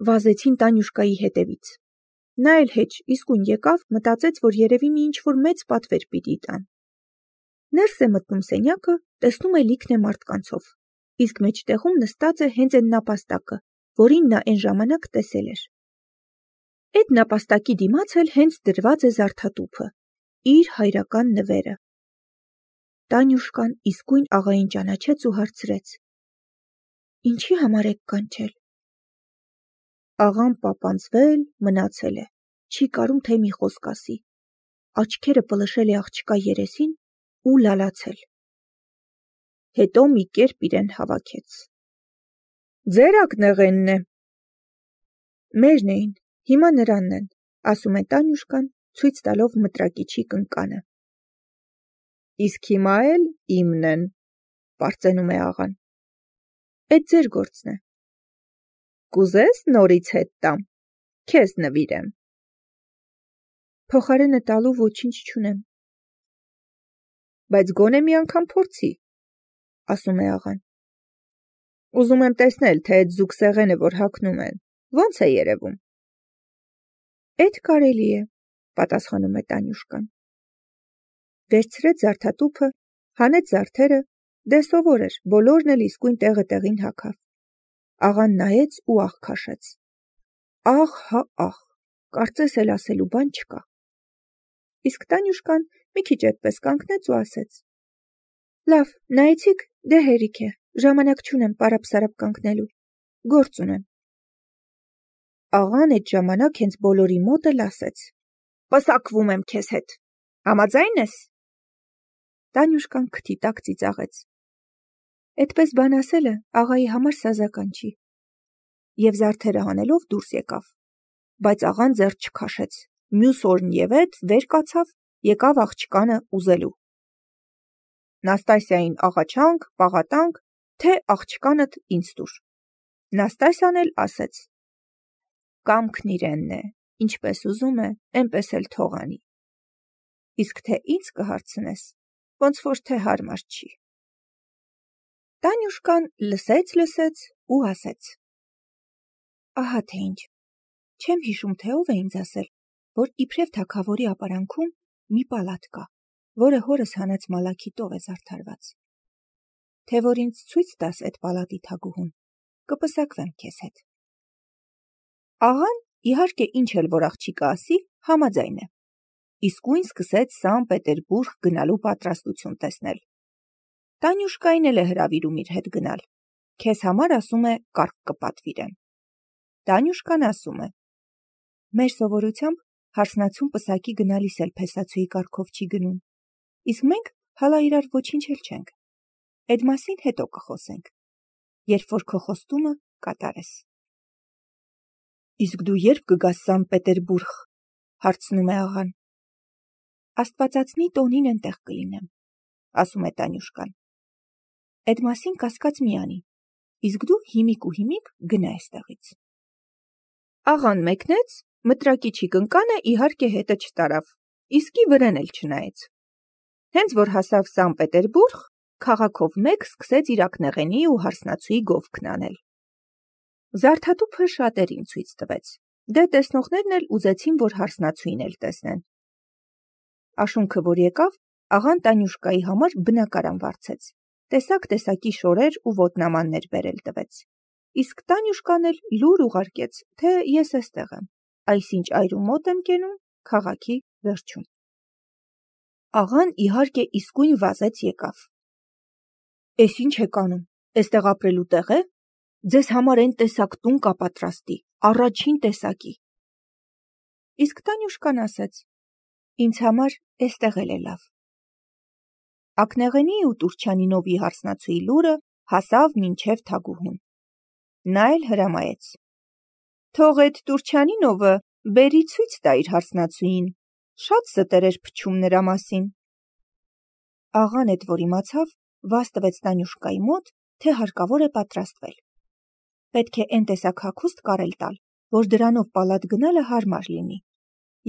վազեցին Տանյուշկայի հետևից։ Նա էլ հեչ իսկույն եկավ, մտածեց, որ երևի մի ինչ-որ մեծ պատվեր պիտի տան։ Ներս է մտնում սենյակը, տեսնում է լիքն է մարդկանցով, իսկ մեջտեղում նստած է հենց այն նապաստակը, որին նա այն ժամանակ տեսել էր։ Այդ նապաստակի դիմաց էլ հենց դրված է զարդատուփը, իր հայրական նվերը։ Տանյուշկան իսկույն աղային ճանաչեց ու հարցրեց. «Ինչի համար եք կանչել»։ Աղան պապանձվել, մնացել է, չի կարում թե մի խոսք ասի, աչքերը պլշել է աղջկա երեսին ու լալացել։ Հետո մի կերպ իրեն հավաքեց. «Ձեր ակնեղենն է»։ «Մերն էին, հիմա նրանն են», ասում է Տանյուշկան, ցույց տալով մտրակիչի կնկանը։ «Իսկ հիմա էլ իմն են», պարծենում է աղան։ «Էդ ձեր գործն է»։ «Կուզես նորից հետ տամ, քեզ նվիրեմ»։ «Փոխարենը տալու ոչինչ չունեմ»։ «Բայց գոնե մի անգամ փորձի», ասում է աղան։ «Ուզում եմ տեսնել, թե այդ զուգսեղենը, որ հագնում են, ո՞նց է երևում»։ «Էդ կարելի է», պատասխանում է Տանյուշկան։ Վերցրեց զարդատուփը, հանեց զարդերը, դե սովոր էր, բոլորն էլ իսկույն տեղը տեղին հագավ։ Աղան նայեց ու ահ քաշեց։ Ահ, հա ահ, կարծես էլ ասելու բան չկա։ Իսկ Տանյուշկան մի քիչ այդպես կանգնեց ու ասեց. «Լավ, նայեցիք, դե հերիք է, ժամանակ չունեմ պարապ-սարապ կանգնելու, գործ ունեմ»։ Աղան այդ ժամանակ հենց բոլորի մոտ էլ ասեց. «Պսակվում եմ քեզ հետ, համաձայն ես»։ Տանյուշկան քթի տակ ծիծաղեց։ Այդպես բան ասելը աղայի համար սազական չի։ Եվ զարդերը հանելով դուրս եկավ, բայց աղան ձեռ չքաշեց, մյուս օրն եւ էդ վեր կացավ, եկավ աղջկանը ուզելու։ Նաստասիային աղաչանք, պաղատանք, թե աղջկանդ ինձ տուր։ Նաստասիան էլ ասեց. «Կամքն իրենն է, ինչպես ուզում է, այնպես էլ թող անի։ Իսկ թե ինձ կհարցնես, ոնց որ թե հարմար չի»։ Տանյուշկան լսեց ու ասեց. «Ահա թե ինչ, չեմ հիշում, թե ով է ինձ ասել, որ իբրև թագավորի ապարանքում մի պալատ կա, որը հորս հանած մալաքիտով է զարդարված։ Թե որ ինձ ցույց տաս այդ պալատի թագուհուն, կպսակվեմ քեզ հետ»։ Աղան, իհարկե, ինչ էլ որ աղջիկը ասի, համաձայն է։ Իսկույն սկսեց Սան Պետերբուրգ գնալու պատրաստություն տեսնել։ Տանյուշկային էլ է հրավիրում իր հետ գնալ։ Քեզ համար, ասում է, կարգ կպատվիրեմ։ Տանյուշկան ասում է. «Մեր սովորությամբ հարսնացուն պսակի գնալիս էլ փեսացուի կարգով չի գնում, իսկ մենք հալա իրար ոչինչ էլ չենք։ Այդ մասին հետո կխոսենք, երբ որ քո խոստումը կատարես»։ «Իսկ դու երբ կգաս Սան Պետերբուրգ», հարցնում է աղան։ «Աստվածածնի տոնին ենտեղ կլինեմ», ասում է Տանյուշկան։ «Այդ մասին կասկած մի անի, իսկ դու հիմիկ ու հիմիկ գնա այստեղից»։ Աղան մեկնեց, մտրակիչի կնկանը իհարկե հետը չտարավ, իսկի վրեն էլ չնայեց։ Հենց որ հասավ Սան Պետերբուրգ, քաղաքով մեկ սկսեց իր ակնեղենի ու հարսնացուի գովքն անել։ Զարդատուփը շատերին ցույց տվեց, դե տեսնողներն էլ ուզեցին, որ հարսնացուին էլ տեսնեն։ Աշունքը, որ եկավ, աղան Տանյուշկայի համար բնակարան վարձեց, տեսակ-տեսակի շորեր ու ոտնամաններ բերել տվեց, իսկ Տանյուշկան էլ լուր ուղարկեց, թե ես էստեղ եմ, այսինչ այրու մոտ եմ կենում, քաղաքի վերջում։ Աղան իհարկե իսկույն վազեց եկավ։ «Էս ինչ եք անում, էստեղ ապրելու տեղ է, ձեզ համար այն տեսակ տուն կապատրաստի, առաջին տեսակի»։ Իսկ Տանյուշկան ասեց. «Ինձ համար էստեղ էլ է լավ»։ Ակնեղենի ու Տուրչյանինովի հարսնացուի լուրը հասավ մինչև թագուհուն։ Նա էլ հրամայեց. «Թող էդ Տուրչյանինովը բերի ցույց տա իր հարսնացուին, շատ ստեր էր փչում նրա մասին»։ Աղան էդ որ իմացավ, վազ տվեց Տանյուշկայի մոտ, թե հարկավոր է պատրաստվել։ Պետք է այն տեսակ հագուստ կարել տալ, որ դրանով պալատ գնալը հարմար լինի,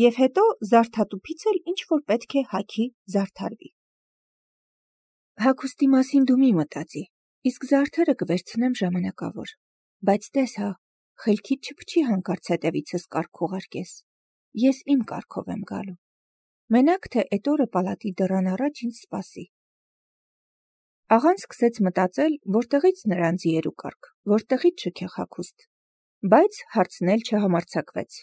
եւ հետո զարդատուփից էլ ինչ որ պետք է հագի զարդարվի։ «Հագուստի մասին դու մի մտածի, իսկ զարդերը կվերցնեմ ժամանակավոր, բայց տես հա, խելքիդ չփչի հանկարծ հետևիցս կարգ ուղարկես, ես իմ կարգով եմ գալու, մենակ թե էդ օրը պալատի դռան առաջ ինձ սպասի։ Աղան սկսեց մտածել, որտեղից նրան ձիերու կարգ, որտեղից շքեղ հագուստ, բայց հարցնել չհամարձակվեց։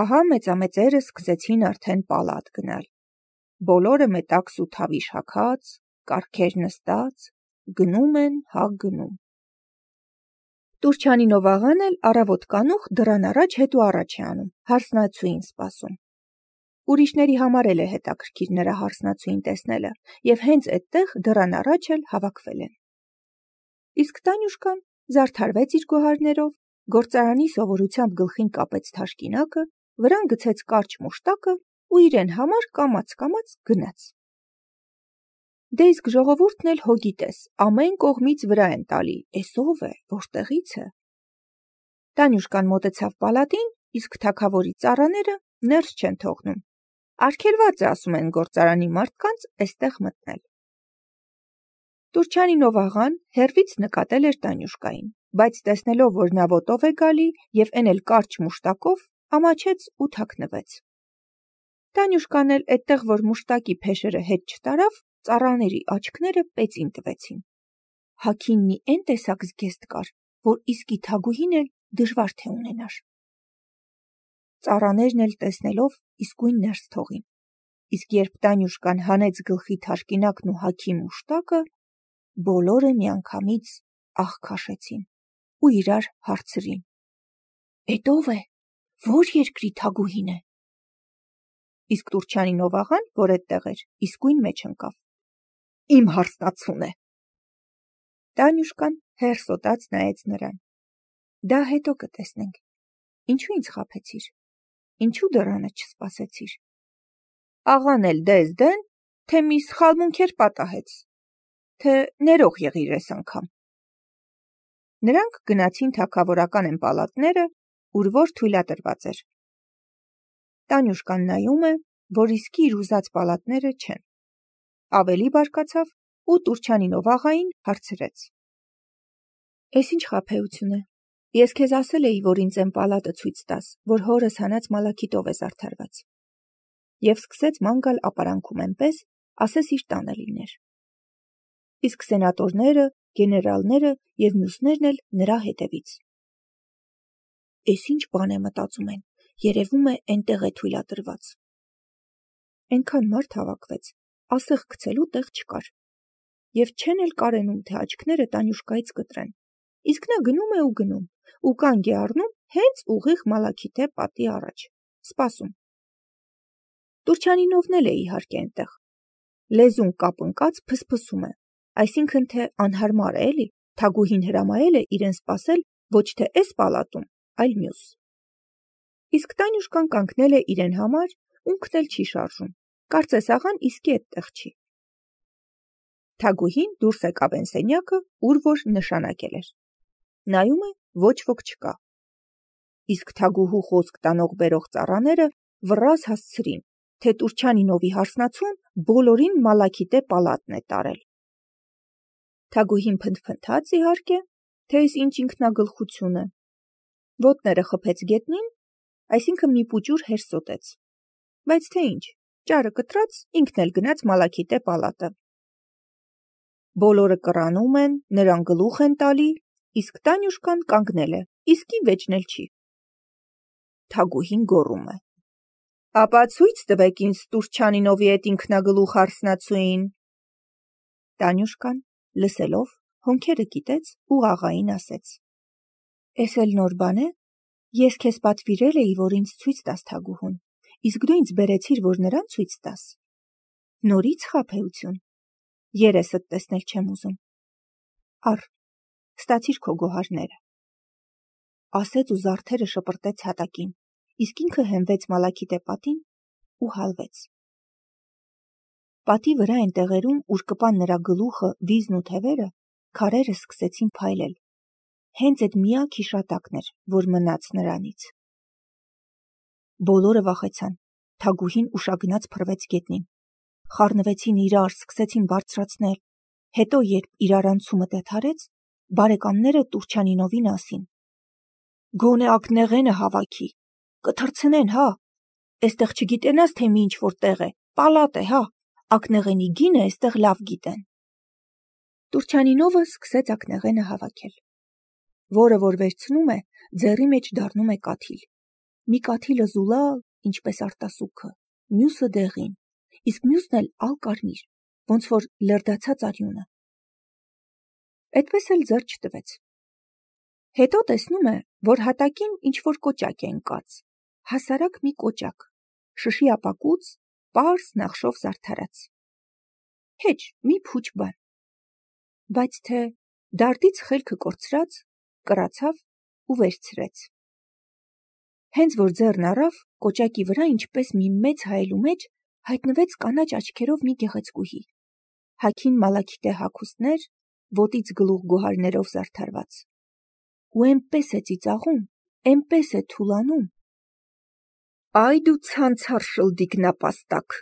Ահա մեծամեծերը սկսեցին արդեն պալատ գնալ, բոլորը մետաքս ու թավիշ հագած, կարգեր նստած, գնում են, գնում։ Տուրչյանինով աղան էլ առավոտ կանուխ դռան առաջ հետ ու առաջ է անում, հարսնացուին սպասում։ Ուրիշների համար էլ է հետաքրքիր նրա հարսնացուին տեսնելը, և հենց այդտեղ դռան առաջ էլ հավաքվել են։ Իսկ Տանյուշկան զարդարվեց իր գոհարներով, գործարանի սովորությամբ գլխին կապեց թաշկինակը, վրան գցեց կարճ մուշտակը ու իրեն համար կամաց-կամաց գնաց։ Դե իսկ ժողովուրդն էլ հո գիտես, ամեն կողմից վրա են տալի, էս ով է, որտեղից է։ Տանյուշկան մոտեցավ պալատին, իսկ թագավորի ծառաները ներս չեն թողնում։ Արգելված է, ասում են գործարանի մարդկանց, էստեղ մտնել։ Տուրչյանինով աղան հեռվից նկատել էր Տանյուշկային, բայց տեսնելով, որ նա ոտով է գալի և էն էլ կարճ մուշտակով, ամաչեց ու թաքնվեց։ Տանյուշկան էլ էդտեղ, որ մուշտակի փեշերը հետ չտարավ, ծառաների աչքները պեծին տվեցին։ Հագինն էն տեսակ զգեստ կար, որ իսկի թագուհին էլ դժվար թե ունենար։ Ծառաներն էլ տեսնելով իսկույն ներս թողին, իսկ երբ Տանյուշկան հանեց գլխի թաշկինակն ու հագի մուշտակը, բոլորը միանգամից ահ քաշեցին ու իրար հարցրին. «Էդ ով է, որ երկրի թագուհին է»։ Իսկ Տուրչյանինով աղան, որ էդտեղ էր, իսկույն մեջ ընկավ. «Իմ հարսնացուն է»։ Տանյուշկան հերսոտած նայեց նրան. «Դա հետո կտեսնենք, ինչու ինձ խաբեցիր, ինչու դռանը չսպասեցիր»։ Աղան էլ դες դեն, թե մի սխալմունքեր պատահեց, թե ներող եղիր էս անգամ։ Նրանք գնացին թագավորական են պալատները, ուր որ թույլատրված էր։ Տանյուշկան նայում է, որ իսկի իր ուզած պալատները չեն։ Ավելի բարկացավ ու Տուրչյանինով աղային հարցրեց. «Էս ինչ խաբեություն է, ես քեզ ասել էի, որ ինձ էն պալատը ցույց տաս, որ հորս հանած մալաքիտով է զարդարված»։ Եվ սկսեց ման գալ ապարանքում էնպես, ասես իր տանը լիներ։ Իսկ սենատորները, գեներալները և մյուսներն էլ նրա հետևից։ «Էս ինչ բան է մտածում են, երևում է էնտեղ է թույլատրված»։ Էնքան մարդ հավաքվեց, ասեղ գցելու տեղ չկար, և չեն էլ կարենում, թե աչքները Տանյուշկայից կտրեն, իսկ նա գնում է ու գնում, ու կանգ է առնում հենց ուղիղ Մալաքիթե պատի առաջ, սպասում։ Տուրչյանինովն էլ է իհարկե էնտեղ, լեզուն կապընկած փսփսում է, այսինքն թե անհարմար է էլի, թագուհին հրամայել է իրեն սպասել ոչ թե էս պալատում, այլ մյուս։ Իսկ Տանյուշկան կանգնել է իրեն համար, ունքն էլ չի շարժում, կարծես աղան իսկի էդտեղ չի։ Թագուհին դուրս եկավ էն սենյակը, ուր որ նշանակել էր։ Նայում է, ոչ ոք չկա։ Իսկ թագուհու խոսք տանող-բերող ծառաները վռազ հասցրին, թե Տուրչյանինովի հարսնացուն բոլորին Մալաքիթե պալատն է տարել։ Թագուհին փնթփնթաց իհարկե, թե էս ինչ ինքնագլխություն է, ոտները խփեց գետնին, այսինքն մի պուճուր հերսոտեց, բայց թե ինչ, ճարը կտրած, ինքն էլ գնաց Մալաքիթե պալատը։ Բոլորը կռանում են, նրան գլուխ են տալի, իսկ Տանյուշկան կանգնել է, իսկի վեճն էլ չի։ Թագուհին գոռում է. «Ապա ցույց տվեք ինձ Տուրչյանինովի էդ ինքնագլուխ հարսնացուին»։ Տանյուշկան, լսելով, հոնքերը կիտեց ու աղային ասեց. «Էս էլ նոր բան է, ես քեզ պատվիրել էի, որ ինձ ցույց տաս թագուհուն, իսկ դու ինձ բերեցիր, որ նրան ցույց տաս։ Նորից խաբեություն, երեսդ տեսնել չեմ ուզում։ Առ, ստացիր քո գոհարները»։ Ասեց ու զարդերը շպրտեց հատակին, իսկ ինքը հենվեց Մալաքիթե պատին ու հալվեց։ Պատի վրա այն տեղերում, ուր կպան նրա գլուխը, վիզն ու թևերը, քարերը սկսեցին փայլել։ Հենց այդ միակ հիշատակն էր, որ մնաց նրանից։ Բոլորը վախեցան, թագուհին ուշագնաց փռվեց գետնին։ Խառնվեցին իրար, սկսեցին բարձրացնել։ Հետո, երբ իրարանցումը դադարեց, բարեկամները Տուրչյանինովին ասին. Գոնե ակնեղենը հավաքի, կթռցնեն, հա, էստեղ չգիտենաս, թե մի ինչ-որ տեղ է, պալատ է, հա, ակնեղենի գինը էստեղ լավ գիտեն։ Տուրչյանինովը սկսեց ակնեղենը հավաքել, որը որ վերցնում է, ձեռի մեջ դառնում է կաթիլ։ Մի կաթիլը զուլալ, ինչպես արտասուքը, մյուսը դեղին, իսկ մյուսն էլ ալ-կարմիր, ոնց որ լրդացած արյունը։ Այդպես էլ ձեռ չտվեց։ Հետո տեսնում է, որ հատակին ինչ-որ կոճակ է ընկած, հասարակ մի կոճակ, շշի ապակուց, պարզ նախշով զարդարած։ Հեչ, մի փուչ բան։ Բայց թե դարդից խելքը կորցրած, կրացավ ու վերցրեց։ Հենց որ ձեռն առավ, կոճակի վրա ինչպես մի մեծ հայելու մեջ հայտնվեց կանաչ աչքերով մի գեղեցկուհի, հագին մալաքիտե հագուստներ, ոտից գլուխ գոհարներով զարդարված։ Ու էնպես է ծիծաղում, էնպես է թուլանում։ Այ դու ցանցար շլդիկ նապաստակ,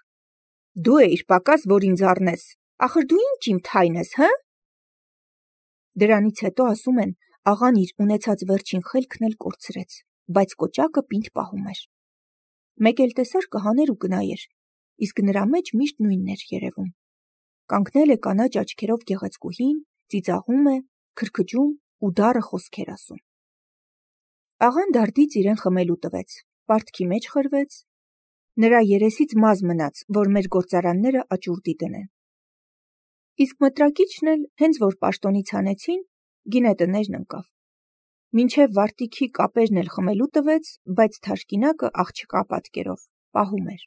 դու էիր պակաս, որ ինձ առնես, ախր դու ինչ իմ թայն ես, հը։ Դրանից հետո ասում են, աղան իր ունեցած վերջին խելքն էլ կորցրեց, բայց կոճակը պինդ պահում էր։ Մեկ էլ տեսար կհաներ ու կնայեր, իսկ նրա մեջ միշտ նույնն էր երևում։ Կանգնել է կանաչ աչքերով գեղեցկուհին, ծիծաղում է, քրքջում ու դառը խոսքեր ասում։ Աղան դարդից իրեն խմելու տվեց, պարտքի մեջ խրվեց, նրա երեսից մազ մնաց, որ մեր գործարանները աճուրդի դնեն։ Իսկ մտրակիչն էլ, հենց որ պաշտոնից հանեցին, գինետներն ընկավ։ Մինչև վարտիքի կապերն էլ խմելու տվեց, բայց թաշկինակը աղջկա պատկերով, պահում էր։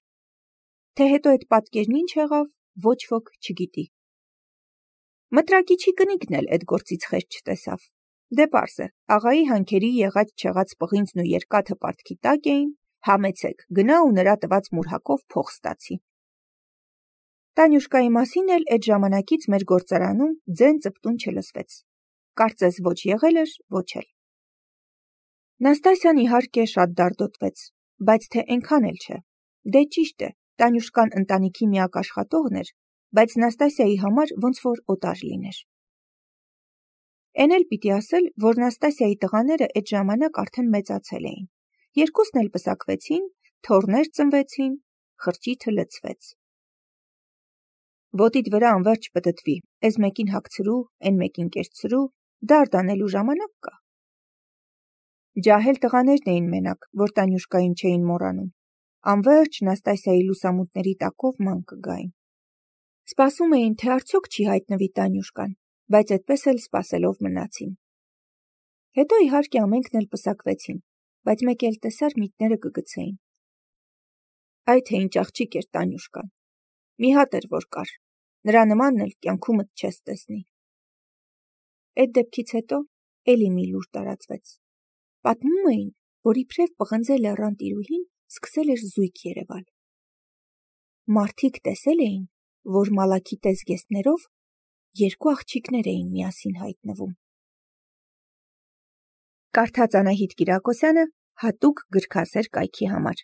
Թե հետո այդ պատկերն ինչ եղավ, ոչ ոք չգիտի։ Մտրակիչի կնիկն էլ այդ գործից խեղճ չտեսավ։ Դե պարզ է, աղայի հանքերի եղած-չեղած պղինձն ու երկաթը պարտքի տակ էին, համեցեք, գնա ու նրա տված մուրհակով փող ստացի։ Տանյուշկայի մասին էլ այդ ժամանակից մեր գործարանում ձեն ծպտուն չլսվեց։ Կարծես ոչ եղել էր, ոչ էլ։ Նաստասյան իհարկե շատ դարդոտվեց, բայց թե այնքան էլ չէ։ Դե ճիշտ է, Տանյուշկան ընտանիքի միակ աշխատողն էր, բայց Նաստասիայի համար ոնց որ օտար լիներ։ Էն էլ պիտի ասել, որ Նաստասիայի տղաները այդ ժամանակ արդեն մեծացել էին։ Երկուսն էլ պսակվեցին, թոռներ ծնվեցին, խրճիթը լցվեց։ Ոտիդ վրա անverջ պտտվի, էս մեկին հագցրու, էն մեկին կերցրու, դարդ անելու ժամանակ կա։ Ջահել տղաներն էին մենակ, որ Տանյուշկային չէին մոռանում։ Անverջ Նաստասիայի լուսամուտների տակով ման կգային։ Սպասում էին, թե արդյոք չի հայտնվի Տանյուշկան, բայց այդպես էլ սպասելով մնացին։ Հետո իհարկե ամենքն էլ պսակվեցին, բայց մեկ էլ տեսար միտները կգցեին։ Այ թե ինչ աղջիկ էր Տանյուշկան։ Մի հատ էր որ կար, նրա նմանն էլ կյանքումդ չես տեսնի։ Այդ դեպքից հետո էլի մի լուր տարածվեց։ Պատմում էին, որ իբրև պղնձե լեռան տիրուհին սկսել էր զույգ երևալ։ Մարդիկ տեսել էին, որ մալաքիտե զգեստներով երկու աղջիկներ էին միասին հայտնվում։ Կարդաց Անահիտ Կիրակոսյանը հատուկ գրքասեր կայքի համար։